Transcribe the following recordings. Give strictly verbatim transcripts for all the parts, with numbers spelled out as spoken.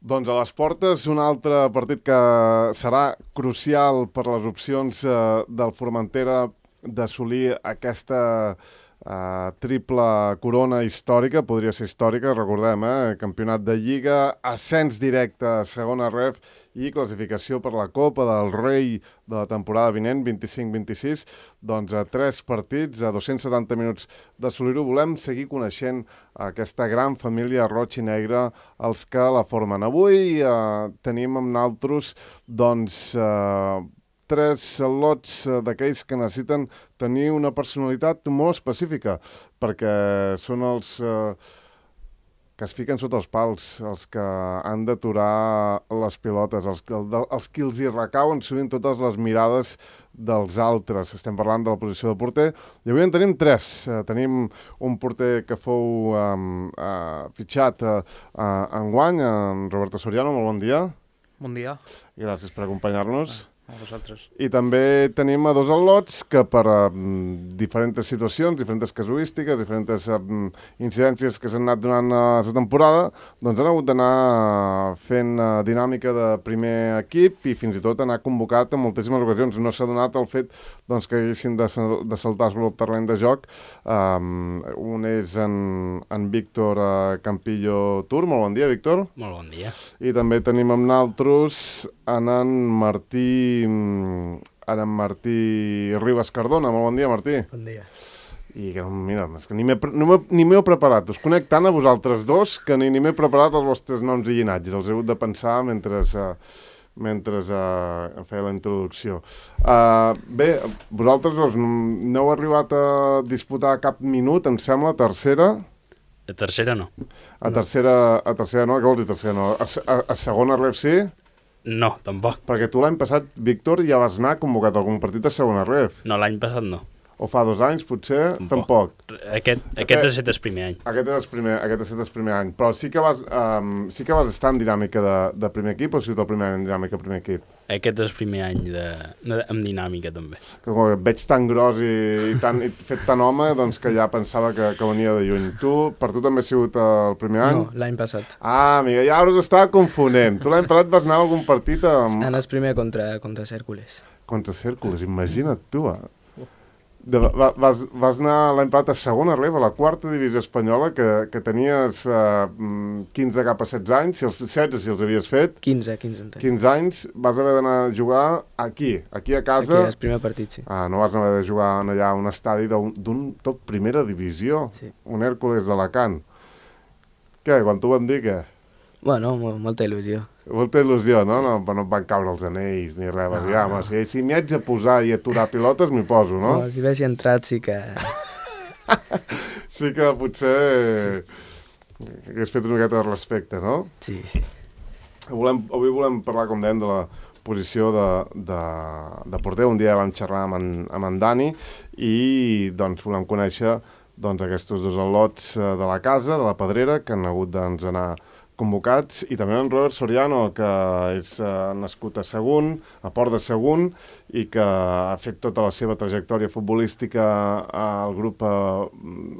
Doncs a les portes un altre partit que serà crucial per les opcions eh, del Formentera d'assolir aquesta eh, triple corona històrica, podria ser històrica, recordem, eh? Campionat de Lliga, ascens directe a segona ref i classificació per la Copa del Rei de la temporada vinent, vint-i-cinc vint-i-sis, doncs a tres partits, a dos-cents setanta minuts d'assolir-ho. Volem seguir coneixent aquesta gran família roig i negra, els que la formen. Avui eh, tenim amb naltros doncs, eh, tres lots d'aquells que necessiten tenir una personalitat molt específica, perquè són els eh, que es fiquen sota els pals, els que han d'aturar les pilotes, els, els qui els hi recauen sovint totes les mirades dels altres. Estem parlant de la posició de porter, i avui en tenim tres. Uh, tenim un porter que fou um, uh, fitxat uh, uh, enguany, en Roberto Soriano. Molt bon dia. Bon dia. Gràcies per acompanyar-nos. A vosaltres. I també tenim a dos al·lots que per uh, diferents situacions, diferents casuístiques, diferents uh, incidències que s'han anat donant a la temporada, doncs han hagut d'anar fent uh, dinàmica de primer equip i fins i tot anar convocat en moltíssimes ocasions. No s'ha donat el fet doncs, que haguessin de, de saltar sobre el terreny de joc. Um, un és en, en Víctor uh, Campillo Tur. Molt bon dia, Víctor. Molt bon dia. I també tenim amb naltros en en Martí ara en Martí Ribas Cardona. Molt bon dia, Martí. Bon dia. I que, mira, és que ni m'he preparat. Us conec tant a vosaltres dos que ni, ni m'he preparat els vostres noms i llinatges. Els he hagut de pensar mentre, uh, mentre uh, em feia la introducció. Uh, bé, vosaltres dos no heu arribat a disputar cap minut, em sembla, tercera... A tercera no. A tercera, a tercera no? Què vols dir tercera no? A, a, a segona ref sí? No, tampoc. Perquè tu l'any passat, Víctor, ja vas anar convocat a algun partit a segona ref. No, l'any passat no. O fa dos anys, potser, tampoc. tampoc. Aquest, aquest ha estat el primer any. Aquest és el primer, aquest ha estat el primer any. Però sí que vas, um, sí que vas estar en dinàmica de, de primer equip o ha sigut el primer any en dinàmica de primer equip? Aquest és el primer any de, de, amb dinàmica, també. Que com et veig tan gros i, i, tan, i fet tan home, doncs que ja pensava que, que venia de lluny. Tu, per tu també ha sigut el primer any? No, l'any passat. Ah, amiga, ja us estava confonent. Tu l'any passat vas anar a algun partit amb... En el primer contra, contra Cèrcules. Contra Cèrcules, imagina't tu, eh? De, va, vas, vas anar l'any passat a segona ref, a la quarta divisió espanyola, que, que tenies uh, quinze cap a setze anys, si els setze si els havies fet. quinze, quinze. Entenc. quinze anys, vas haver d'anar a jugar aquí, aquí a casa. Aquí, el primer partit, sí. Ah, no vas haver de jugar allà a un estadi d'un tot primera divisió, sí. Un Hèrcules d'Alacant. Què, quan t'ho van dir, què? Bueno, molta il·lusió. Molta il·lusió, no? Sí. No, no et van caure els anells ni res. No, dir, ah, no. Si, si m'hi haig de posar i aturar pilotes, m'hi poso, no? No, si haguessi entrat sí que... sí que potser sí. hagués fet una miqueta de respecte, no? Sí, sí. Volem, avui volem parlar, com dèiem, de la posició de, de, de porter. Un dia vam xerrar amb en, amb en Dani i doncs, volem conèixer doncs, aquests dos al·lots de la casa, de la Pedrera, que han hagut doncs, anar convocats, i també en Robert Soriano, que és uh, nascut a Sagunt, a Port de Sagunt, i que ha fet tota la seva trajectòria futbolística al grup, a,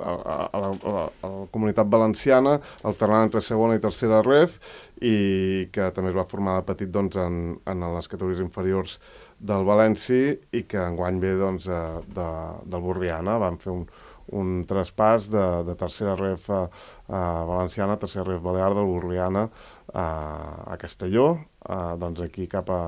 a, a, a, la, a la comunitat valenciana, alternant entre segona i tercera ref, i que també es va formar de petit doncs, en, en les categories inferiors del València, i que enguany ve doncs, de, del Borriana. Van fer un un traspàs de, de tercera ref a, a valenciana, tercera ref balear del Borriana a, a Castelló, a, doncs aquí cap a,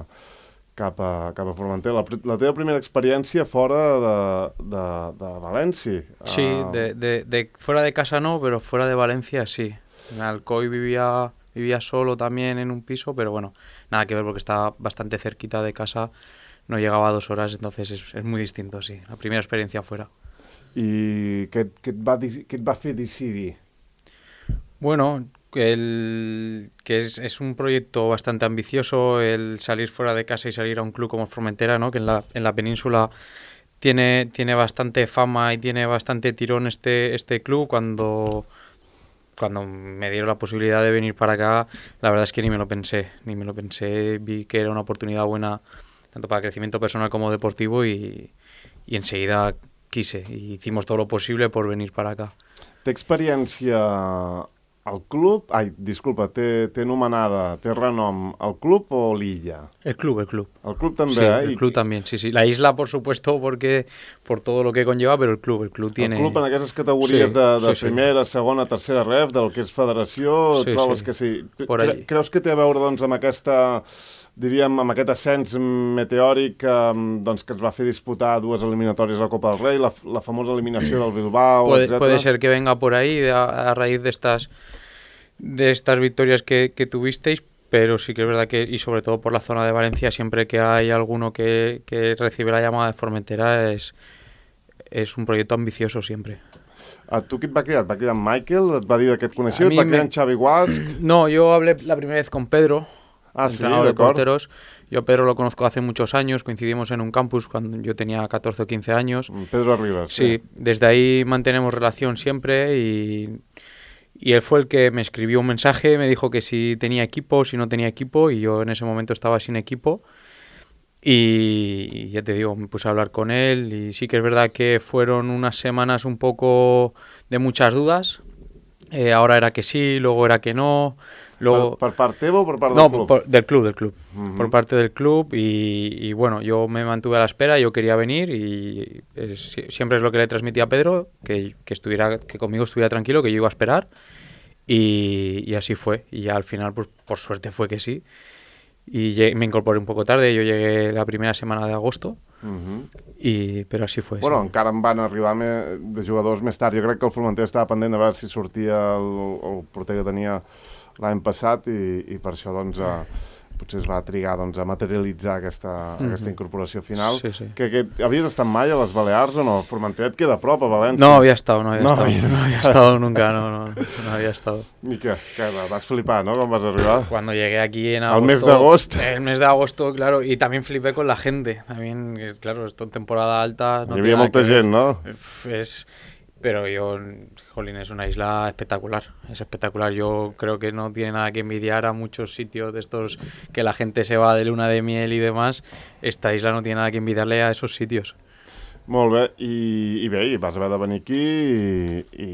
cap a, cap a Formentera. La, la teva primera experiència fora de, de, de València. Sí, uh... de, de, de, fuera de casa no, pero fuera de Valencia sí. En Alcoy vivía, vivía solo también en un piso, pero bueno, nada que ver porque estaba bastante cerquita de casa, no llegaba a dos horas, entonces es, es muy distinto, sí. La primera experiencia fuera. I què, què, et va, què et va fer decidir? Bueno, el, que es, es un proyecto bastante ambicioso el salir fuera de casa y salir a un club como Formentera, ¿no? Que en la, en la península tiene, tiene bastante fama y tiene bastante tirón este, este club. Cuando, cuando me dieron la posibilidad de venir para acá, la verdad es que ni me lo pensé, ni me lo pensé, vi que era una oportunidad buena tanto para crecimiento personal como deportivo y, y enseguida quise y hicimos todo lo posible por venir para acá. Té experiència el club, ai, disculpa, té, té nomenada, té renom el club o l'illa? El club, el club. El club també, sí, ¿eh? el club también, sí, sí. La isla, por supuesto, porque por todo lo que conlleva, pero el club, el club tiene... El club en aquestes categories sí, de, de sí, primera, sí. segona, tercera ref, del que és federació, sí, trobes sí. que sí. Por Cre allí. Creus que té a veure, doncs, amb aquesta... diríem, amb aquest ascens meteòric doncs, que ens va fer disputar dues eliminatòries a la Copa del Rei, la, la famosa eliminació del Bilbao, puede, etcétera. Puede ser que venga por ahí a, a raíz de estas, de estas victorias que, que tuvisteis, pero sí que es verdad que, y sobre todo por la zona de Valencia, siempre que hay alguno que, que recibe la llamada de Formentera, es, es un proyecto ambicioso siempre. A tu qui et va cridar? Et va cridar en Michael? Et va dir que et coneixia? Et va cridar en Xavi Guasc? No, yo hablé la primera vez con Pedro, Ah, sí, entrenador de porteros. Yo a Pedro lo conozco hace muchos años, coincidimos en un campus cuando yo tenía catorce o quince años. Pedro Rivas. Sí, sí, desde ahí mantenemos relación siempre y, y él fue el que me escribió un mensaje, me dijo que si tenía equipo, si no tenía equipo, y yo en ese momento estaba sin equipo. Y, y ya te digo, me puse a hablar con él y sí que es verdad que fueron unas semanas un poco de muchas dudas. Eh, ahora era que sí, luego era que no. Luego... ¿Per, per part teva o per part del no, club? Por, del club, del club. Uh-huh. Por parte del club y, y bueno, yo me mantuve a la espera, yo quería venir y es, siempre es lo que le transmití a Pedro, que, que, estuviera, que conmigo estuviera tranquilo, que yo iba a esperar y, y así fue. Y ya al final, pues por suerte fue que sí. Y llegué, me incorporé un poco tarde, yo llegué la primera semana de agosto, uh-huh. i, però així fue. Bueno, sí. Encara en van arribar me, de jugadors més tard. Jo crec que el Formentera estava pendent de veure si sortia el, el porter que tenia l'any passat i, i per això doncs, eh, potser es va trigar doncs, a materialitzar aquesta, mm-hmm. aquesta incorporació final. Sí, sí. Que, que, havies estat mai a les Balears o no? Formentera et queda a prop, a València? No había estado, no había no, estado, había... no había estado nunca, no, no, no había estado. I què? Que vas flipar, ¿no? Quan vas arribar. Cuando llegué aquí en agosto. Al mes de agosto. El mes de agosto, claro, y también flipé con la gente. También, claro, esto en temporada alta. No Hi havia molta gent, no? Es... Pero yo, jolín, es una isla espectacular, es espectacular. Yo creo que no tiene nada que envidiar a muchos sitios de estos que la gente se va de luna de miel y demás. Esta isla no tiene nada que envidiarle a esos sitios. Molt bé, i, i bé, i vas haver de venir aquí i, i,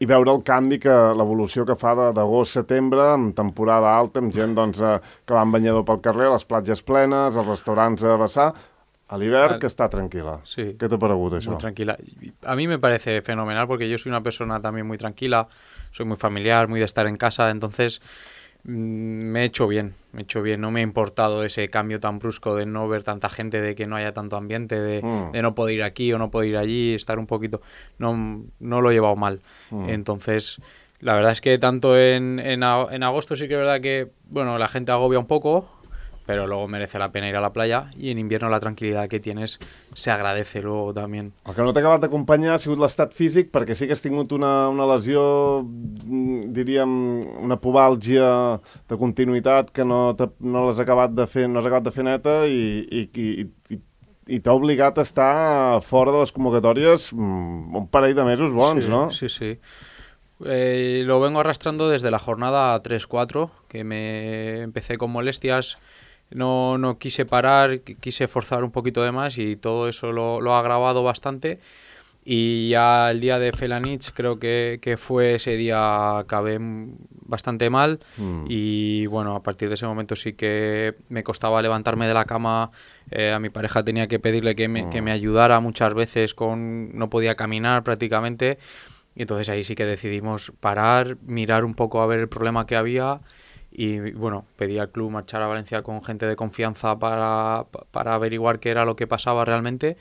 i veure el canvi, que l'evolució que fa d'agost a setembre, amb temporada alta, amb gent doncs, que va en banyador pel carrer, les platges plenes, els restaurants a vessar. A l'hivern, que está tranquila. Sí. ¿Qué te parece eso? Muy tranquila. A mí me parece fenomenal porque yo soy una persona también muy tranquila, soy muy familiar, muy de estar en casa, entonces mmm, me he hecho bien, me he hecho bien. No me ha importado ese cambio tan brusco de no ver tanta gente, de que no haya tanto ambiente, de, mm. de no poder ir aquí o no poder ir allí, estar un poquito... No, no lo he llevado mal. Mm. Entonces, la verdad es que tanto en, en, en agosto sí que es verdad que, bueno, la gente agobia un poco, pero luego merece la pena ir a la playa y en invierno la tranquilidad que tienes se agradece luego también. El que no t'ha acabat d'acompanyar ha sigut l'estat físic, perquè sí que has tingut una, una lesió, diríem, una pubàlgia de continuïtat que no, no l'has acabat de fer, no has acabat de fer neta i, i, i, i, i t'ha obligat a estar fora de les convocatòries un parell de mesos bons, sí, no? Sí, sí. Eh, lo vengo arrastrando desde la jornada tres cuatro, que me empecé con molestias. No, no quise parar, quise forzar un poquito de más y todo eso lo, lo ha agravado bastante. Y ya el día de Felanich creo que, que fue ese día, acabé bastante mal mm. y bueno, a partir de ese momento sí que me costaba levantarme de la cama. Eh, a mi pareja tenía que pedirle que me, mm. que me ayudara muchas veces, con no podía caminar prácticamente. Y entonces ahí sí que decidimos parar, mirar un poco a ver el problema que había. Y bueno, pedí al club marchar a Valencia con gente de confianza para, para averiguar qué era lo que pasaba realmente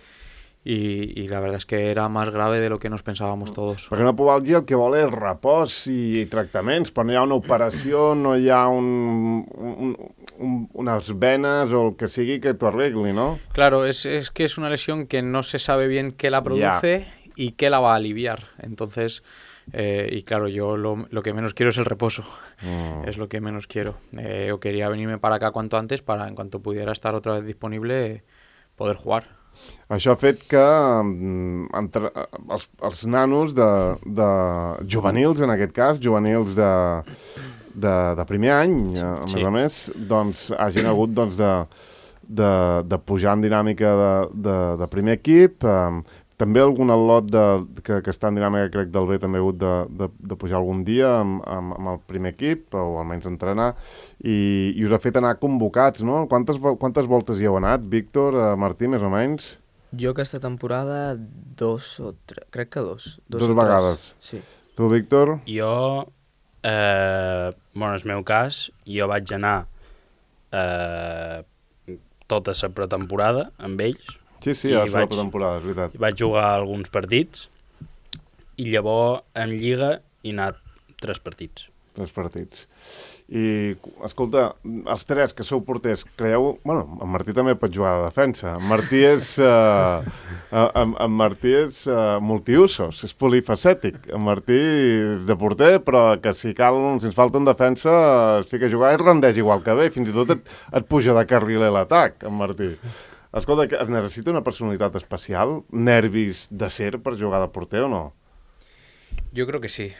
y, y la verdad es que era más grave de lo que nos pensábamos todos. Perquè una pubàlgia el que vol és repòs i tractaments, però no hi ha una operació, no hi ha un, un, un, unas venes o el que sigui que t'ho arregli, ¿no? Claro, es, es que es una lesión que no se sabe bien qué la produce yeah. y qué la va a aliviar, entonces... Eh, y claro, yo lo, lo que menos quiero es el reposo, mm. es lo que menos quiero. Eh, yo quería venirme para acá cuanto antes para, en cuanto pudiera estar otra vez disponible, poder jugar. Això ha fet que entre, els, els nanos de, de juvenils, en aquest cas, juvenils de, de, de primer any, sí. a més sí. a més, doncs hagin hagut doncs, de, de, de pujar en dinàmica de, de, de primer equip. Eh, també algun al·lot de, que, que està en dinàmica, crec, del B també ha hagut de, de, de pujar algun dia amb, amb, amb el primer equip, o almenys entrenar, i, i us ha fet anar convocats, no? Quantes, quantes voltes hi heu anat, Víctor, uh, Martí, més o menys? Jo aquesta temporada dos o tres, crec que dos. Dos, dos vegades. Sí. Tu, Víctor? Jo, eh, bueno, en el meu cas, jo vaig anar eh, tota la pretemporada amb ells. Sí, sí, ja va la pretemporada, és veritat. Vaig jugar alguns partits i llavors en Lliga he anat tres partits. Tres partits. I, escolta, els tres que sou porters, creieu... Bueno, en Martí també pot jugar de defensa. En Martí és... Uh, en, en Martí és uh, multiusos, és polifacètic. En Martí és de porter, però que si cal, si ens falta en defensa, es fica a jugar i rendeix igual que bé. Fins i tot et, et puja de carriler l'atac, en Martí. Escolta, es necessita una personalitat especial, nervis d'acer per jugar de porter o no? Yo creo que sí.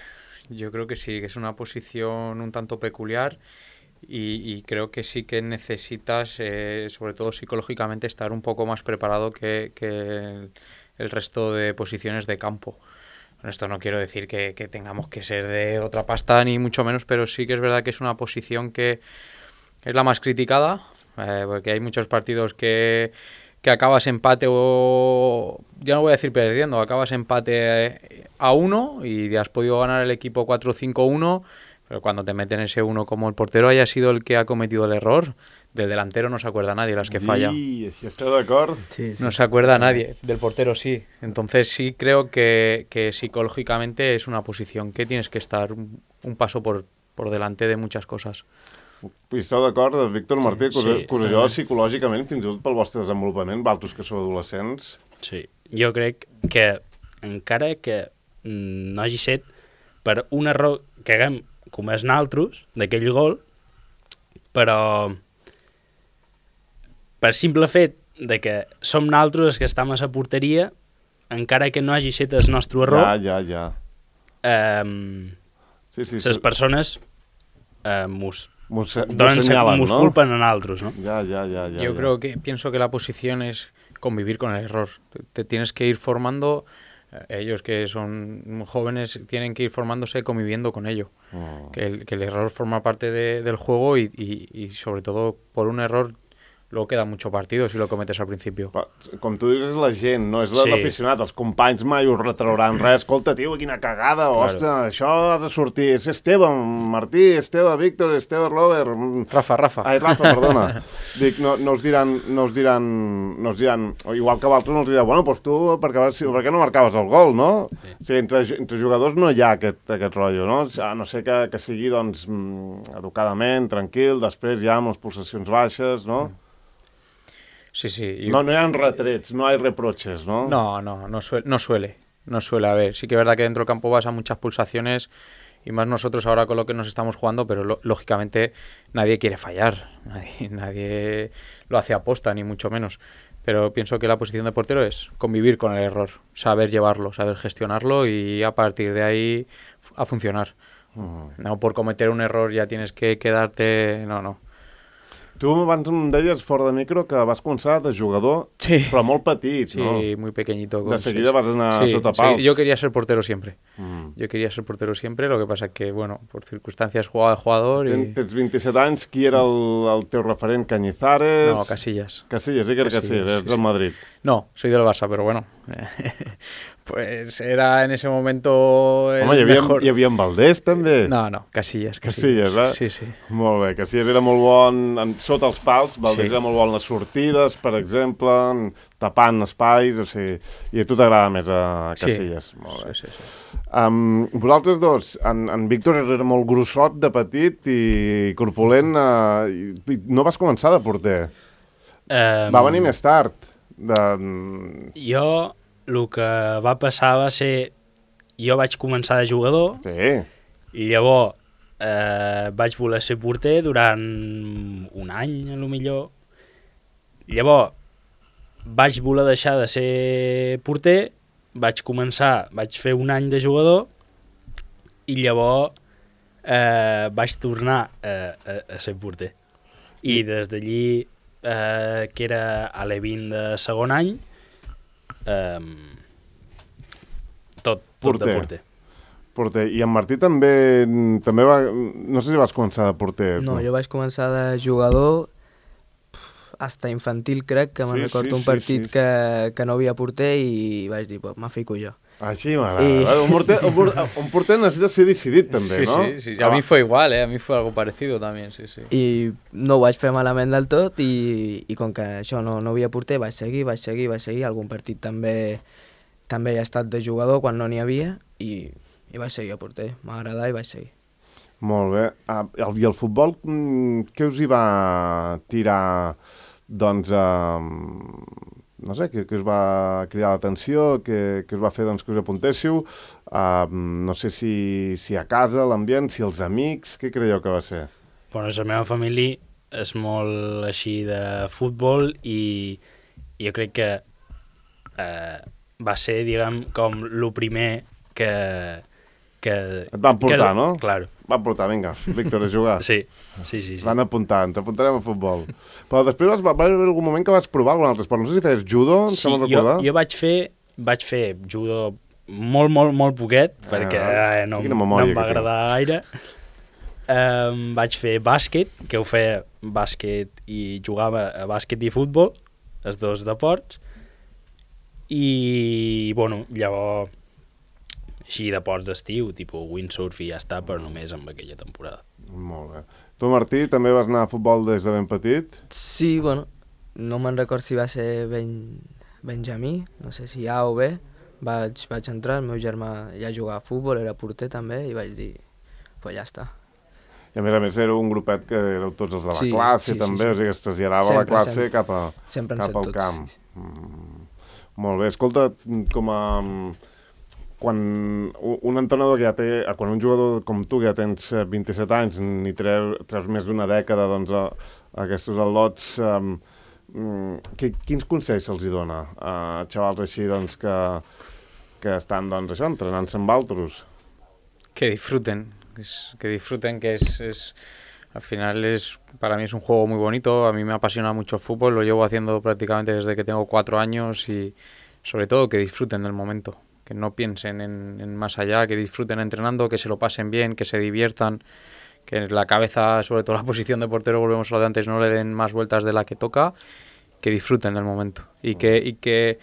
Yo creo que sí, que es una posición un tanto peculiar y, y creo que sí que necesitas, eh, sobre todo psicológicamente, estar un poco más preparado que, que el, el resto de posiciones de campo. Con esto no quiero decir que, que tengamos que ser de otra pasta, ni mucho menos, pero sí que es verdad que es una posición que es la más criticada, eh, porque hay muchos partidos que... que acabas empate o... ya no voy a decir perdiendo, acabas empate a uno y has podido ganar el equipo cuatro cinco uno, pero cuando te meten ese uno como el portero haya sido el que ha cometido el error, del delantero no se acuerda nadie las que falla. Sí, ¿estoy de acuerdo? Sí, sí. No se acuerda nadie, del portero sí. Entonces sí creo que, que psicológicamente es una posición que tienes que estar un, un paso por, por delante de muchas cosas. I esteu d'acord, Víctor, Martí, que, sí, que allò psicològicament, fins i tot pel vostre desenvolupament, valtos que sou adolescents... Sí, jo crec que encara que mm, no hagi set per un error que haguem comès naltros d'aquell gol, però per simple fet de que som naltros els que estem a la porteria, encara que no hagi set el nostre error, ja, ja, ja. Eh, sí, sí, les sí. persones eh, mos Mos, donen, mos ¿no? culpen a nosaltres, ¿no? Ya, ya, ya, ya. Yo ya. creo que, pienso que la posición es convivir con el error. Te, te tienes que ir formando, eh, ellos que son jóvenes tienen que ir formándose conviviendo con ello. Oh. Que, el, que el error forma parte de, del juego y, y, y sobre todo por un error luego queda mucho partido si lo cometes al principio. Com tu dius, és la gent, no és l'aficionat. Sí. Els companys mai us retrauran res. Escolta, tio, quina cagada, claro. Ostres, això ha de sortir. És Esteve, Martí, Esteve, Víctor, Esteve, Robert... Rafa, Rafa. Ai, Rafa, perdona. Dic, no, no us diran, no us diran, no us diran, igual que vosaltres no us diran, bueno, doncs tu, per què, per què no marcaves el gol, no? Sí. O sigui, entre, entre jugadors no hi ha aquest, aquest rotllo, no? A no ser que, que sigui, doncs, educadament, tranquil, després ja amb les pulsacions baixes, no? Mm. Sí, sí. Yo... No, no hay retrets, no hay reproches, ¿no? No, no, no suele, no suele, no suele haber. Sí que es verdad que dentro del campo vas a muchas pulsaciones y más nosotros ahora con lo que nos estamos jugando, pero lo, lógicamente nadie quiere fallar, nadie, nadie lo hace aposta, ni mucho menos. Pero pienso que la posición de portero es convivir con el error, saber llevarlo, saber gestionarlo y a partir de ahí a funcionar. Uh-huh. No por cometer un error ya tienes que quedarte... No, no. Tu abans em deies fora de micro que vas començar de jugador, sí. Però molt petit, sí, ¿no? Sí, muy pequeñito. De seguida vas anar sí, sota pals. Sí, yo quería ser portero siempre. Mm. Yo quería ser portero siempre, lo que pasa es que, bueno, por circunstancias jugaba de jugador y... Ten, tens vint-i-set anys, qui era el, el teu referent? Cañizares? No, Casillas. Casillas, sí que era Casillas, Casillas, és del Madrid. No, soy del Barça, pero bueno... Pues era en ese momento el Home, hi havia, mejor... hi havia en Valdés, també? No, no, Casillas. Casillas, eh? Sí, sí. Molt bé, Casillas era molt bon en, sota els pals, Valdés sí. Era molt bon en les sortides, per exemple, en, tapant espais, o sigui, i a tu t'agrada més a Casillas. Sí, molt bé. Sí, sí, sí. Um, vosaltres dos, en, en Víctor era molt grossot de petit i corpulent, uh, i no vas començar de porter. Um... Va venir més tard. De... Jo... El que va passar va ser... Jo vaig començar de jugador, sí. I llavors eh, vaig voler ser porter durant un any, a lo millor. Llavors vaig voler deixar de ser porter, vaig començar, vaig fer un any de jugador, i llavors eh, vaig tornar a, a, a ser porter. I des d'allí, eh, que era a l'E vint de segon any, Um, tot de Porter. porter. Porter. I en Martí també, també va... No sé si vas començar de porter. No, tu. jo vaig començar de jugador pf, hasta infantil, crec, que me'n Sí, recordo sí, un sí, partit sí. Que, que no havia porter i vaig dir, pues, me fico jo. Així m'agrada. I- I... Un, porter, un, porter, un porter necessita ser decidit, també, Sí, no? sí, sí. A mí fue igual, ¿eh? A mí fue algo parecido también, sí, sí. I no ho vaig fer malament del tot i, i com que això no, no havia porter, vaig seguir, vaig seguir, vaig seguir. Algun partit també també he estat de jugador quan no n'hi havia i, i vaig seguir a porter. M'agradava i vaig seguir. Molt bé. Ah, el- I el futbol, mm, què us hi va tirar, doncs, eh, no sé, què, què us va cridar l'atenció, què, què us va fer doncs, que us apuntéssiu? Uh, no sé si, si a casa, l'ambient, si els amics, què creieu que va ser? Bueno, la meva família és molt així de futbol i jo crec que eh, va ser, diguem, com el primer que... que Et van portar, que, no? Claro. Van portar, vinga, Víctor, a jugar. Sí, sí, sí. sí. Van apuntar, ens apuntarem a futbol. Però després vas, va haver algun moment que vas provar algun altre esport. No sé si feies judo, em Sí, sembla jo, recordar. jo vaig fer, vaig fer judo molt, molt, molt poquet, Ah, perquè eh, no, quina no memòria em va que agradar gaire. Um, vaig fer bàsquet, que ho feia bàsquet i jugava a bàsquet i futbol, els dos deports, i, bueno, llavors, així deports d'estiu, tipus windsurf i ja està, però només amb aquella temporada. Molt bé. Tu, Martí, també vas anar a futbol des de ben petit? Sí, bueno, no me'n record si va ser ben, Benjamí, no sé si A o B, vaig, vaig entrar, el meu germà ja jugava a futbol, era porter també, i vaig dir, pues ja està. I a més a més era un grupet que éreu tots els de la Sí, classe, sí, sí, també, sí. o sigui, es traslladava la Sempre, classe sempre. cap, a, Sempre han cap set al tots. camp. Mm, molt bé. Escolta, com a... Quan un un entrenador que ja té... Quan un jugador com tu, que ja tens eh, vint-i-set anys, ni treu, treus més d'una dècada, doncs, a, a aquests al·lots, um, que, quins consells se'ls hi dona a xavals així, doncs, que, que estan, doncs, això, entrenant-se amb altres? Que disfruten, es- que disfruten, que es, es- al final es, para mí es un juego muy bonito, a mí me apasiona mucho el fútbol, lo llevo haciendo prácticamente desde que tengo cuatro años y sobre todo que disfruten del momento, que no piensen en, en más allá, que disfruten entrenando, que se lo pasen bien, que se diviertan, que en la cabeza, sobre todo la posición de portero, volvemos a lo de antes, no le den más vueltas de la que toca, que disfruten del momento y que, y que,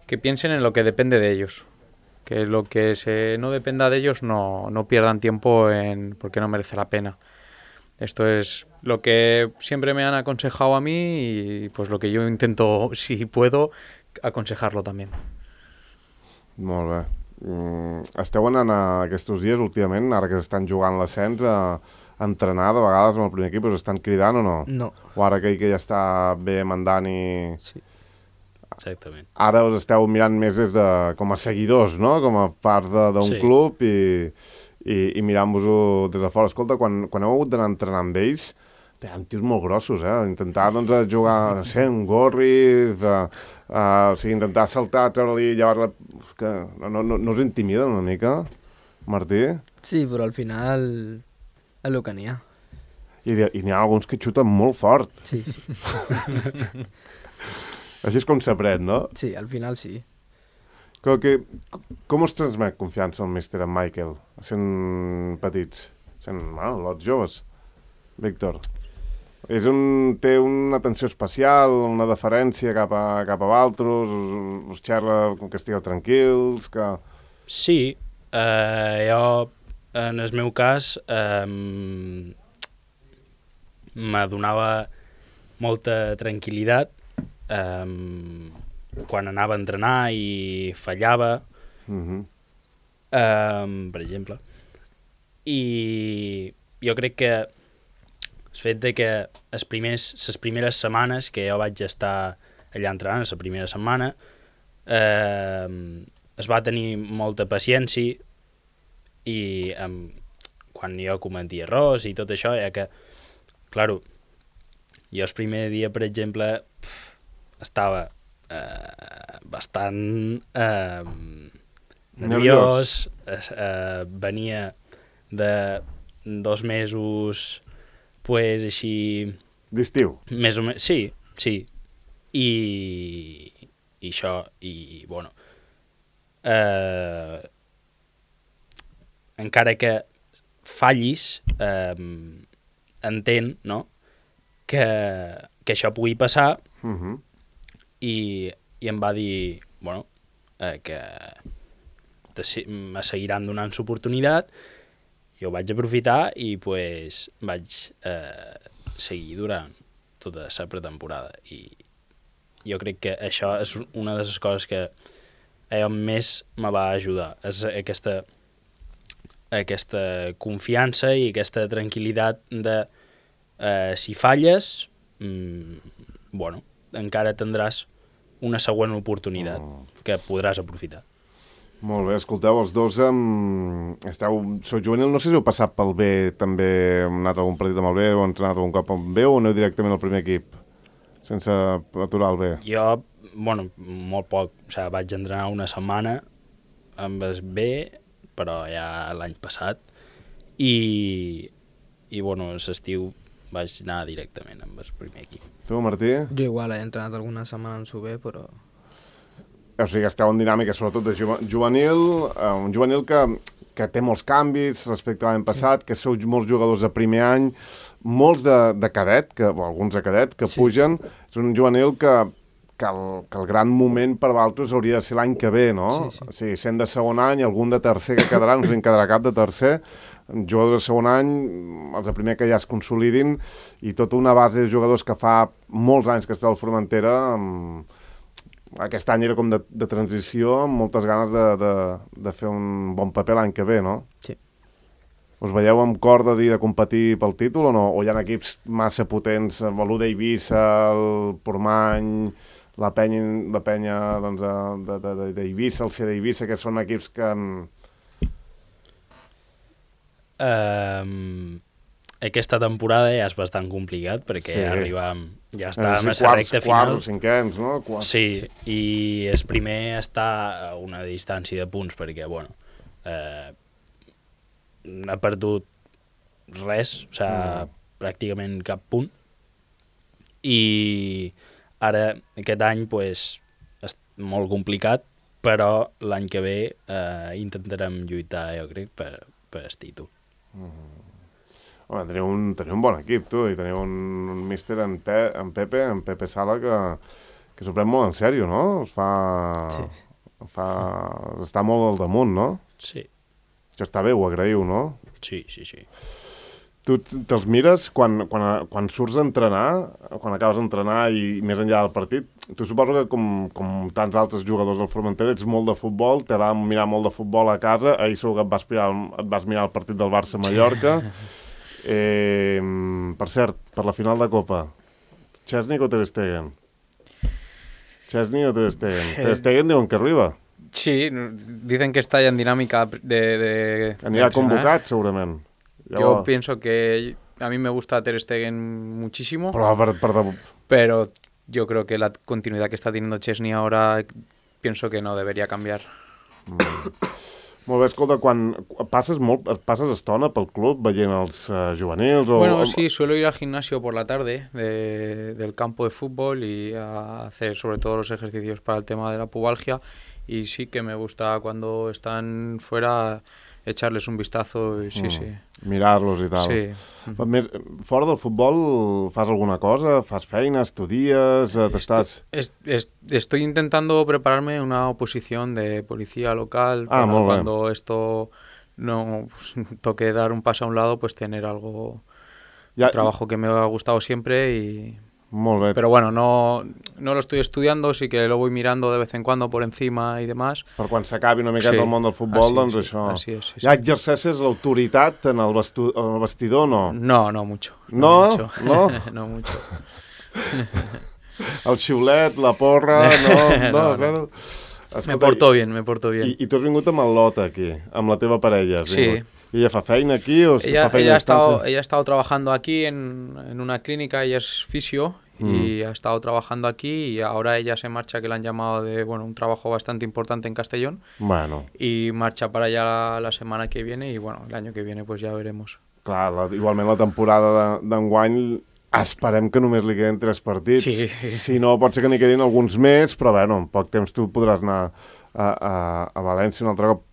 que piensen en lo que depende de ellos. Que lo que se no dependa de ellos no, no pierdan tiempo en porque no merece la pena. Esto es lo que siempre me han aconsejado a mí y pues lo que yo intento, si puedo, aconsejarlo también. Molt bé. Mm, esteu anant a aquests dies, últimament, ara que s'estan jugant l'ascens, a, a entrenar de vegades amb el primer equip, us estan cridant o no? No, O ara aquell que ja està bé mandant i... sí. Exactament. Ara us esteu mirant més des de, com a seguidors, no? Com a part de- d'un Sí. club i, i, i mirant-vos-ho des de fora. Escolta, quan, quan heu hagut d'anar a entrenar amb ells, tenen tios molt grossos, eh? Intentar, doncs, a jugar, no sé, un gorri, de, uh, o sigui, intentar saltar, treure-li, llevar-la... Que no, no, no, no us intimiden una mica, Martí? Sí, però al final és el que n'hi ha. I, i n'hi ha alguns que xuten molt fort. Sí, sí. Així és com s'aprèn, no? Sí, al final sí. Com, que, com us transmet confiança el míster en Michael, sent petits, sent, bueno, lots joves? Víctor, és un, té una atenció especial, una deferència cap a, cap a altres, us, us xerra com que estigueu tranquils, que... Sí, eh, jo, en el meu cas, eh, me donava molta tranquil·litat eh, quan anava a entrenar i fallava, Uh -huh. eh, per exemple. I jo crec que el fet de que les primers, les primeres setmanes que jo vaig estar allà entrenant, la primera setmana, eh, es va tenir molta paciència i um, quan jo cometia errors i tot això, ja que, claro, jo el primer dia, per exemple, pf, estava eh, bastant eh, nerviós, eh, eh, venia de dos mesos, pues, així... D'estiu. Més o menys, sí, sí. I, i això, i, bueno, eh, encara que fallis, eh, entén, no?, que, que això pugui passar, Uh-huh. i, i em va dir, bueno, eh, que de, si- me seguiran donant l'oportunitat, jo ho vaig aprofitar i pues, vaig eh, seguir durant tota la pretemporada. I jo crec que això és una de les coses que eh, més me va ajudar, és aquesta, aquesta confiança i aquesta tranquil·litat de eh, si falles, mm, bueno, encara tindràs una següent oportunitat Oh. que podràs aprofitar. Molt bé, escolteu, els dos um, esteu, sou juvenil, no sé si heu passat pel B, també heu anat a algun partit amb el B, o heu entrenat algun cop amb B, o aneu directament al primer equip, sense aturar el B? Jo, bueno, molt poc, o sigui, vaig entrenar una setmana amb el B, però ja l'any passat, i, i bueno, l'estiu vaig anar directament amb el primer equip. Tu, Martí? Jo igual he entrenat alguna setmana en Subé, però... O sigui, esteu en dinàmica, sobretot de juve- juvenil, eh, un juvenil que, que té molts canvis respecte a l'any passat, que sou molts jugadors de primer any, molts de, de cadet, que, o alguns de cadet, que Sí. pugen. És un juvenil que, que, el, que el gran moment per vosaltres hauria de ser l'any que ve, no? Sí, sí. O sigui, sent de segon any, algun de tercer que quedarà, no sé si en quedarà cap de tercer, jugadors de segon any, els de primer que ja es consolidin, i tota una base de jugadors que fa molts anys que està al Formentera, amb... aquest any era com de, de transició, amb moltes ganes de, de, de fer un bon paper l'any que ve, no? Sí. Us veieu amb cor de dir de competir pel títol o no? O hi ha equips massa potents, l'U d'Eivissa, el Portmany, la penya, la penya doncs, de- de- de- d'Eivissa, el C d'Eivissa, que són equips que... Um, aquesta temporada ja és bastant complicat perquè Sí. sí. arribam, ja no estàvem sé a si la quarts, recta quarts final. o cinquens, no? Quarts. Sí, sí, i el primer està a una distància de punts perquè, bueno, eh, ha perdut res, o sigui, Mm. mm. pràcticament cap punt. I ara, aquest any, pues, és molt complicat, però l'any que ve eh, intentarem lluitar, jo crec, per, per el títol. Home, teniu un, teniu un bon equip, tu, i teniu un, un míster en, Pe, en Pepe, en Pepe Sala, que, que s'ho pren molt en sèrio, no? Es fa... Sí. fa... Està molt al damunt, no? Sí, Això està bé, ho agraïu, no? sí, sí, sí. Tu t- te'ls mires quan, quan, quan surts a entrenar, quan acabes d'entrenar i més enllà del partit, tu suposo que com, com tants altres jugadors del Formentera ets molt de futbol, t'agrada mirar molt de futbol a casa, ahir segur que et vas, mirar, et vas mirar el partit del Barça-Mallorca. Eh, per cert, per la final de Copa, Chesney o Ter Stegen? Chesney o Ter Stegen? Ter Stegen diuen que arriba, Sí, dicen que está ya en dinámica de... de anirà de entrenar. convocat segurament. Yo pienso que a mí me gusta Ter Stegen muchísimo, Però per, per, per, pero yo creo que la continuidad que está teniendo Chesney ahora pienso que no debería cambiar. Molt bé, escolta, quan passes, molt, passes estona pel club veient els uh, juvenils? O, Bueno, sí, suelo ir al gimnasio por la tarde de- del campo de fútbol y a hacer sobre todo los ejercicios para el tema de la pubalgia, y sí que me gusta cuando están fuera echarles un vistazo y sí, Mm. sí. mirar-los i tal. Sí. Però Més, fora del futbol fas alguna cosa? Fas feina? Estudies? eh, T'estàs... Es- es- estoy intentando prepararme una oposición de policía local Ah, para muy bien. cuando esto no pues, toque dar un paso a un lado, pues tener algo, Ja, un trabajo que me ha gustado siempre y... Molt bé. Pero bueno, no, no lo estoy estudiando, sí que lo voy mirando de vez en cuando por encima y demás. Per quan s'acabi una miqueta Sí, el món del futbol, així, doncs sí, això... així és, sí, Ja sí. exerceixes l'autoritat en el, vestu... en el vestidor, no? No, no mucho. ¿No? mucho. ¿No? no mucho. El xiulet, la porra, no? No, No, no. zero. Me Escolta, porto bien, me porto bien. I, I tu has vingut amb el Lot aquí, amb la teva parella. has Sí. vingut. I ella fa feina aquí o Ella, fa feina ella, a ha estado, distància? ella ha estado trabajando aquí en, en una clínica, ella es fisio y ha estado trabajando aquí, y ahora ella se marcha, que le han llamado de bueno un trabajo bastante importante en Castellón, Bueno, y marcha para allá la, la semana que viene, y bueno, el año que viene pues ya veremos. clar, la, igualment la temporada de- d'enguany esperem que només li queden tres partits. Sí. Si no, pot ser que n'hi quedin alguns més, però bueno, en poc temps tu podràs anar a, a, a València un altre cop.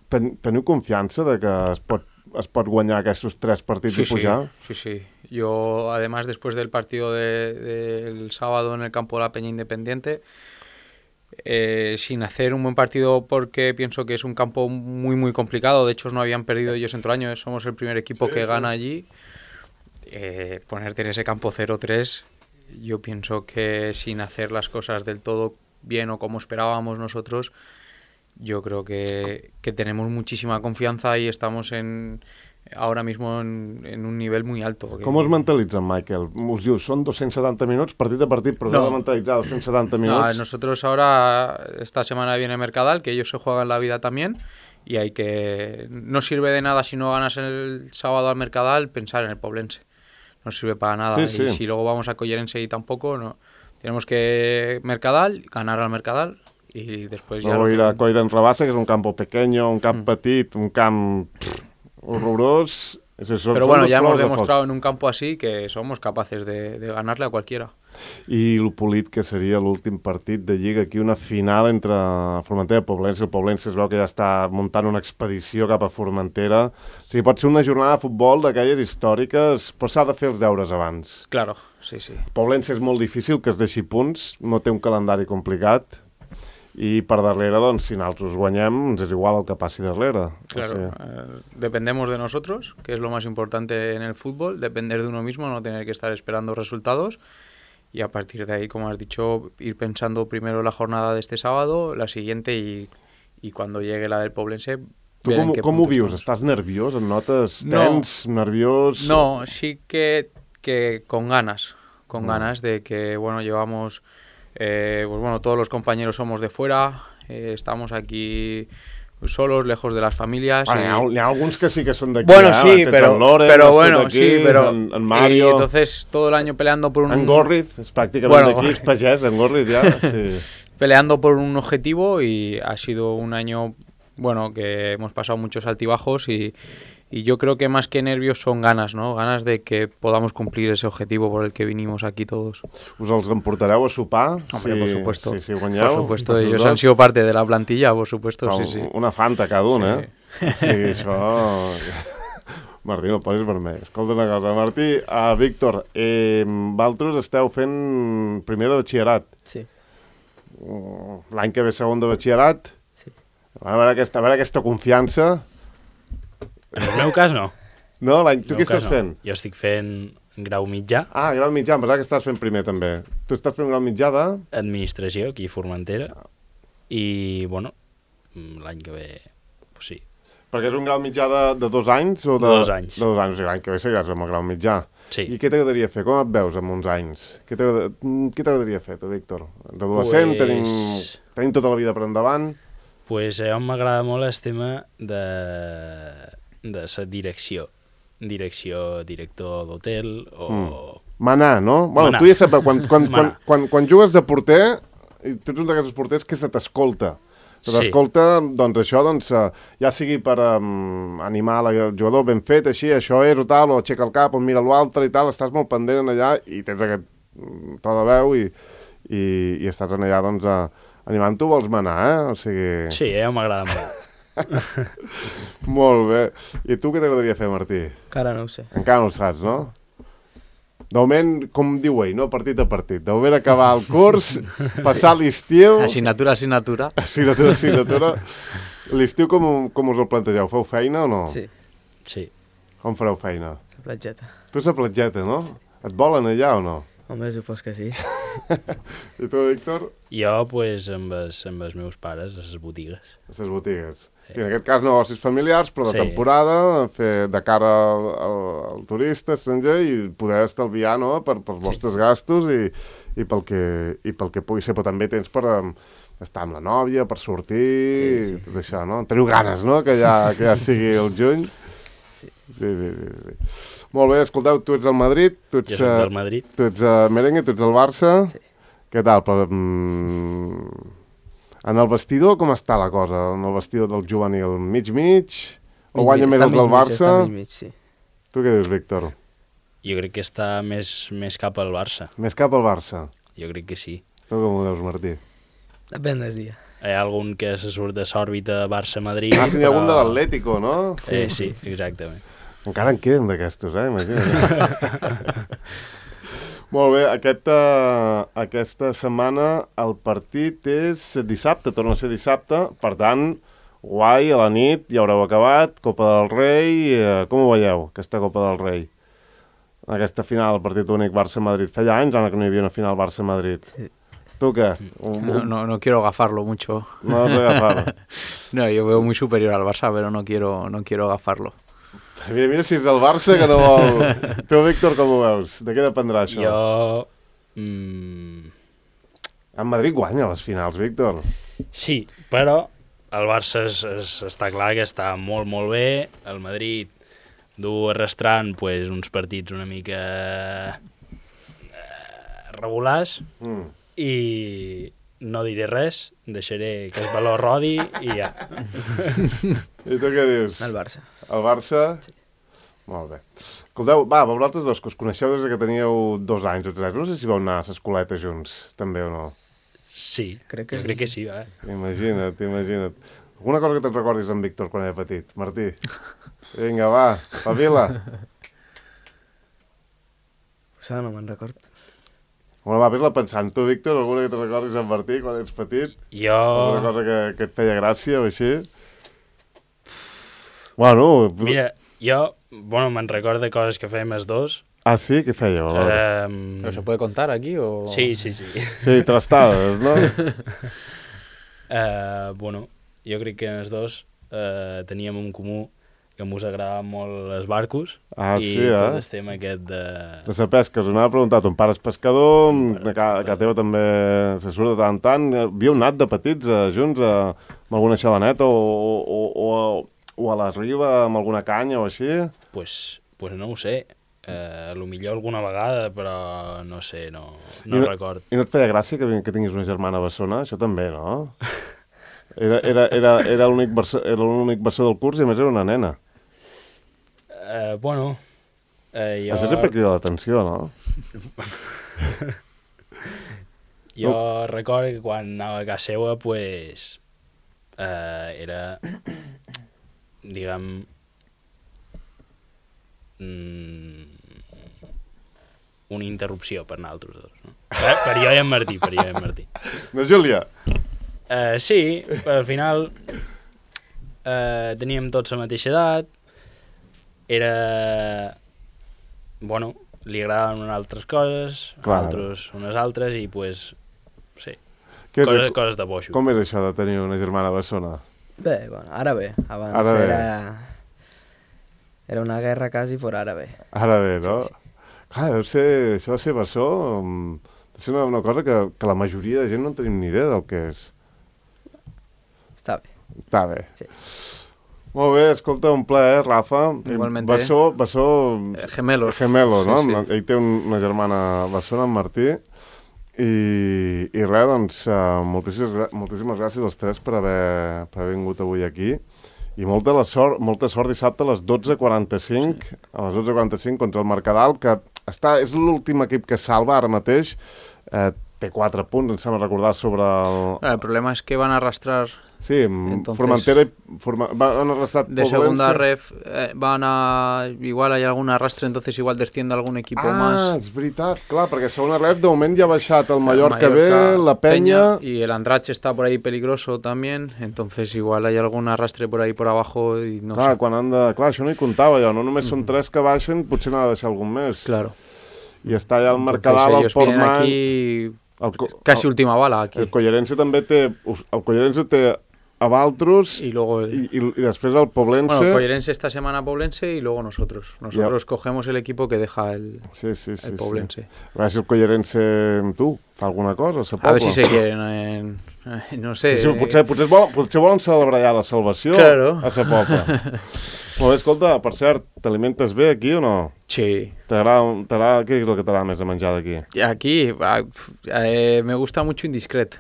ten, teniu confiança de que es pot, es pot guanyar aquests tres partits sí, y pujar? Sí, sí, sí. Yo, además, después del partido del de, de sábado en el campo de la Peña Independiente, eh, sin hacer un buen partido porque pienso que es un campo muy, muy complicado. De hecho, no habían perdido ellos en todo el año. Somos el primer equipo sí, que sí. gana allí. Eh, ponerte en ese campo cero tres, yo pienso que sin hacer las cosas del todo bien o como esperábamos nosotros, yo creo que, que tenemos muchísima confianza y estamos en ahora mismo en, en un nivel muy alto. Com us mentalitzen, Michael? Us diu, són doscientos setanta minuts, partit a partit, però no. de mentalitzar doscientos setanta minuts. No, nosotros ahora, esta semana viene Mercadal, que ellos se juegan la vida también, y hay que... No sirve de nada si no ganas el sábado al Mercadal, pensar en el Poblense. No sirve para nada. Sí, sí. Y si luego vamos a Collerense y tampoco, no. Tenemos que Mercadal, ganar al Mercadal, y después ya... Luego ir a Coll d'en Rabassa, que es un campo pequeño, un camp mm. petit, un camp... horrorós. Pero bueno, ya hemos demostrado en un campo así que somos capaces de, de ganarle a cualquiera. I el polit que seria l'últim partit de Lliga, aquí una final entre Formentera i Poblense. El Poblense es veu que ja està muntant una expedició cap a Formentera. O sigui, pot ser una jornada de futbol d'aquelles històriques, però s'ha de fer els deures abans. Claro, sí, sí. Poblense és molt difícil que es deixi punts, no té un calendari complicat. I per darrere, doncs, si nosaltres guanyem, ens és igual el que passi darrere. Claro, o sea... eh, dependemos de nosotros, que es lo más importante en el fútbol, depender de uno mismo, no tener que estar esperando resultados, y a partir de ahí, como has dicho, ir pensando primero la jornada de este sábado, la siguiente, y, y cuando llegue la del Poblense... Tu com, com ho vius? Estàs nerviós? Et notes tens, no, nerviós? No, sí que, que con ganas, con no. ganas de que, bueno, llevamos... Eh, pues bueno, todos los compañeros somos de fuera, eh, estamos aquí solos, lejos de las familias. Bueno, y... hi ha alguns que sí que son de aquí. Bueno, ¿eh? sí, pero, Loren, pero bueno, aquí, sí, pero en, en Mario. Y entonces todo el año peleando por un... En Gorriz, es prácticamente bueno, aquí, es pagès, en Gorriz ya, sí. Peleando por un objetivo, y ha sido un año, bueno, que hemos pasado muchos altibajos, y, y yo creo que más que nervios son ganas, ¿no? Ganas de que podamos cumplir ese objetivo por el que vinimos aquí todos. ¿Us els emportareu a sopar? Hombre, sí, por supuesto. Sí, sí, guanyeu, por supuesto, ellos dos han sido parte de la plantilla, por supuesto, però sí, sí. Una fanta cada un, eh? Sí, sí això... Martí, no posis vermell. Escolta una cosa, Martí, uh, Víctor, eh, vosaltres esteu fent primer de batxillerat. Sí. Uh, L'any que ve segon de batxillerat. Sí. A veure aquesta, a veure aquesta confiança. En el meu cas, no. No? Tu què estàs no. fent? Jo estic fent grau mitjà. Ah, grau mitjà, em pensava que estàs fent primer, també. Tu estàs fent grau mitjà de... Administració, aquí a Formentera. I, bueno, l'any que ve, pues sí. Perquè és un grau mitjà de, de dos anys? O de, de dos anys. De dos anys, o sigui, l'any que ve seguiràs amb el grau mitjà. Sí. I què t'agradaria fer? Com et veus amb uns anys? Què t'agradaria fer, tu, Víctor? Adolescent, pues... tenim, tenim tota la vida per endavant. Pues a mi m'agrada molt el tema de... de la direcció. Direcció, director d'hotel o... Mm. Manar, no? Bueno, Manar. Tu ja saps, quan, quan, quan, quan, quan jugues de porter, i tu ets un d'aquests porters que se t'escolta. Se t'escolta, sí. Doncs això, doncs, ja sigui per um, animar el jugador ben fet, així, això és o tal, o aixeca el cap, o mira l'altre i tal, estàs molt pendent allà i tens aquest to de veu i, i, i estàs allà, doncs, a, animant. Tu vols manar, eh? O sigui... Sí, a mi m'agrada molt. Molt bé. I tu què t'agradaria fer, Martí? Encara no ho sé. Encara no ho saps, no? De moment, com diu ell, no? Partit a partit. De moment acabar el curs, passar l'estiu... Assignatura, assignatura. Assignatura, assignatura. L'estiu com, com us el plantegeu? Feu feina o no? Sí. Sí. Com fareu feina? La platgeta. Tu és la platgeta, no? Et volen allà o no? Home, supos que sí. I tu, Víctor? Jo, pues, amb els, amb els meus pares, a les botigues. A les botigues. Sí, en aquest cas negocis familiars, però de sí. temporada, fer de cara al, al, al turista estranger i poder estalviar, no?, per, pels vostres sí. gastos i, i, pel que, i pel que pugui ser, però també tens per um, estar amb la nòvia, per sortir, sí, sí. tot això, no? Teniu ganes, no?, que ja, que ja sigui el juny. Sí. Sí, sí, sí, sí. Molt bé, escolteu, tu ets del Madrid, tu ets, jo soc del Madrid. Tu ets uh, merengue, tu ets del Barça. Sí. Què tal? Però, mm, en el vestidor com està la cosa? En el vestidor del juvenil mig-mig? O mig, guanya més el del Barça? Està mig-mig, sí. Tu què dius, Víctor? Jo crec que està més, més cap al Barça. Més cap al Barça? Jo crec que sí. Tu com ho veus, Martí? Depèn del dia. hi ha algun que se surt de l'òrbita Barça-Madrid. Ah, sí, n'hi ha algun de l'Atlético, no? Sí, sí, exactament. Encara en queden d'aquestos, eh? Imagina't. Molt bé, aquesta, aquesta setmana el partit és dissabte, torna a ser dissabte, per tant, guai, a la nit, ja haureu acabat, Copa del Rei, eh, com ho veieu, aquesta Copa del Rei? Aquesta final, el partit únic Barça-Madrid. Feia anys, Anna, que no hi havia una final Barça-Madrid. Sí. ¿Tú qué? No, no, no quiero gafarlo mucho. No vas a gafarlo. No, yo veo muy superior al Barça, pero no quiero, no quiero gafarlo. Mira, mira si és el Barça que no vol... Tu, Víctor, com ho veus? De què dependrà això? Jo... Mm... En Madrid guanya les finals, Víctor. Sí, però el Barça es, es, està clar que està molt, molt bé. El Madrid du arrastrant pues, uns partits una mica eh, regulars Mm. i no diré res, deixaré que el valor rodi i ja. I tu què dius? El Barça. El Barça? Sí. Molt bé. Escolteu, va, vosaltres dos que us coneixeu des que teníeu dos anys o tres, no sé si vau anar a l'escoleta junts, també o no? Sí, Crec que jo sí. crec que sí, va. Imagina't, imagina't. Alguna cosa que te'n recordis en Víctor quan era petit, Martí? Vinga, va, pavila. Això no me'n record. Bueno, va, vés-la pensant. Tu, Víctor, alguna que te'n recordis en Martí quan ets petit? Jo... Alguna cosa que, que et feia gràcia o així? Bueno... Mira, jo, bueno, me'n recordo de coses que fèiem els dos. Ah, sí? Què fèieu? A veure. Um... ¿Pero se puede contar aquí o...? Sí, sí, sí. Sí, trastades, no? Uh, bueno, jo crec que els dos uh, teníem en comú que ens agradaven molt els barcos Ah, i sí, eh? tot el tema aquest de... De la pesca, us anava a preguntar, ton pare és pescador, a ca, a ca teva també se surt de tant en tant. Havíeu anat de petits eh, junts a, amb alguna xalaneta o, o, o, a, o a la riba amb alguna canya o així? Pues, pues no ho sé, uh, a lo millor alguna vegada, però no sé, no, I no no- record. I no et feia gràcia que, que tinguis una germana bessona? Això també, no? Era, era, era, era l'únic bessó, era l'únic bessó del curs i a més era una nena. Uh, bueno, uh, jo... Això sempre crida l'atenció, no? Jo recordo que quan anava a casa seva, pues, uh, era, diguem, mm, una interrupció per nosaltres dos. No? Per, per jo i en Martí, per jo i en Martí. No, Júlia? Uh, sí, però al final uh, teníem tots la mateixa edat, era... Bueno, li agradaven unes altres coses, Clar. altres unes altres, i pues, sí, Què, coses, coses de boixo. com és això de tenir una germana bessona? Bé, bueno, ara bé. Abans Ara bé. era... Era una guerra quasi, però ara bé. Ara bé, no? Sí, Clar, deu ser, això de ser bessó, mm, deu ser una, una cosa que, que la majoria de gent no en tenim ni idea del que és. Està bé. Està bé. Sí. Molt bé, escolta, un plaer, Rafa. Igualmente. Bessó, bessó... Eh, gemelos. Gemelo, no? Sí, sí. Ell té un, una germana bessona, en Martí. I, i res, doncs, uh, moltíssimes, gra- moltíssimes gràcies als tres per haver, per haver vingut avui aquí. I molta, la sort, molta sort dissabte a les dotze quaranta-cinc, sí. a les dotze quaranta-cinc contra el Mercadal, que està, és l'últim equip que salva ara mateix. Eh, té quatre punts, em sembla recordar, sobre el... El problema es que van a arrastrar Sí, Entonces, Formentera i... Forma, van arrastrar de segunda ref, eh, van a... Igual hay algún arrastre, entonces igual desciende algún equipo ah, más. és veritat, clar, perquè segona ref de moment ja ha baixat el Mallorca, Mallorca, B, la Penya... Y el Andrache está por ahí peligroso también, entonces igual hay algún arrastre por ahí por abajo y no clar, sé. quan han de... Clar, això no hi comptava jo, no només són tres que baixen, potser n'ha de deixar algun més. Claro. I està allà el Entonces Mercadal, el ellos vienen Portmany... aquí El, co- casi el, última bala aquí. el Collerense també té... El Collerense té a Valtros Y luego el- i, i, i després el Poblense... Bueno, Collerense esta semana Poblense y luego nosotros. Nosotros cogemos el equipo que deja el, Sí, sí, sí. el sí. Poblense. A veure si el Collerense amb tu fa alguna cosa, a A ver si se quieren, en- eh, no sé. Sí, sí, potser, potser, vol, potser volen celebrar ja la salvació Claro. a sa pobla. Molt bé, escolta, per cert, t'alimentes bé aquí o no? Sí. T'agrada, t'agrada, què és el que t'agrada més de menjar d'aquí? Y aquí ah, pf, eh, me gusta mucho Indiscret.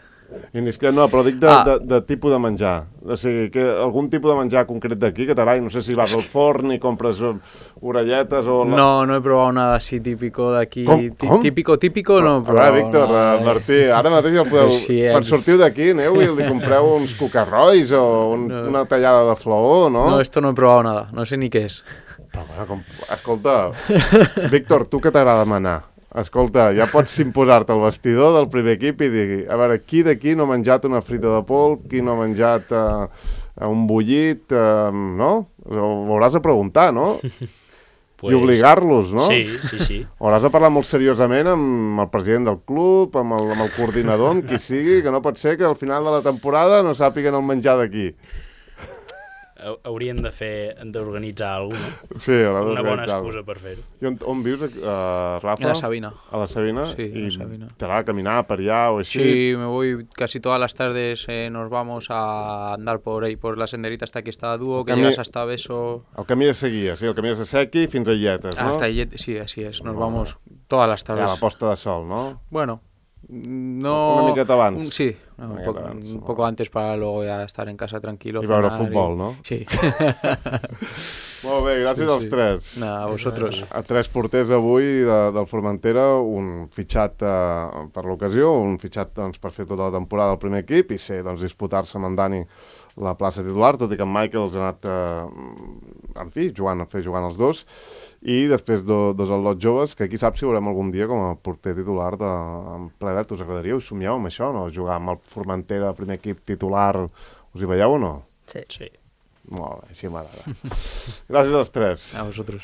Indiscret, no, però dic de, Ah. de, de tipus de menjar. O sigui, que algun tipus de menjar concret d'aquí que t'agradi, no sé si vas al forn i compres eh, orelletes o... La... No, no he probado nada así típico de aquí. Com? Tí- Com? Típico, típico no he A veure, probado Víctor, nada eh, de- Martí, ara mateix el podeu... Sí, eh. Quan sortiu d'aquí, aneu i li compreu uns cucarrois o un, No. una tallada de flaó, no? No, esto no he probado nada, no sé ni qué es. Però, bueno, com... Escolta, Víctor, tu que t'agrada manar? Escolta, ja pots imposar-te al vestidor del primer equip i dir, a veure, qui d'aquí no ha menjat una frita de polp, qui no ha menjat uh, un bullit, uh, no? Ho hauràs de preguntar, no? Pues, I obligar-los, no? Sí, sí, sí. Hauràs de parlar molt seriosament amb el president del club, amb el, amb el coordinador, amb qui sigui, que no pot ser que al final de la temporada no sàpiguen el menjar d'aquí. Hau- Haurien de fer, d'organitzar alguna cosa, Sí, haurà no? Una bona d'organitzar-ho. excusa per fer-ho. I on, on vius, uh, Rafa? En la Sabina. A la Sabina? Sí, en I la Sabina. t'agrada caminar per allà o així? Sí, me voy casi todas las tardes, eh, nos vamos a andar por ahí, por la senderita hasta aquí está Dúo, que Camí- llegas hasta Beso, El camí de Seguia, sí, el camí de Sequi fins a Illetes, no? hasta Illet- sí, así es, nos vamos todas las I a tardes. la posta de sol, no? Bueno, no... Una miqueta abans. un- sí, Una un, miqueta poco, abans, un no. poco antes para luego ya estar en casa tranquilo. I veure cenar futbol, no? Sí. Molt bé, gràcies Sí, als sí. tres. Nada, a vosotros. A tres porters avui de, del Formentera, un fitxat eh, per l'ocasió, un fitxat doncs, per fer tota la temporada del primer equip i ser doncs, disputar-se amb en Dani la plaça titular, tot i que en Michael els ha anat, eh, en fi, jugant, a fer jugant els dos, i després do, dos al·lots joves, que qui sap si veurem algun dia com a porter titular de, en ple dret. Us agradaria, us somieu amb això, no? Jugar amb el Formentera, primer equip titular, us hi veieu o no? Sí. Sí. Molt bé, així m'agrada. Gràcies als tres. A vosotros.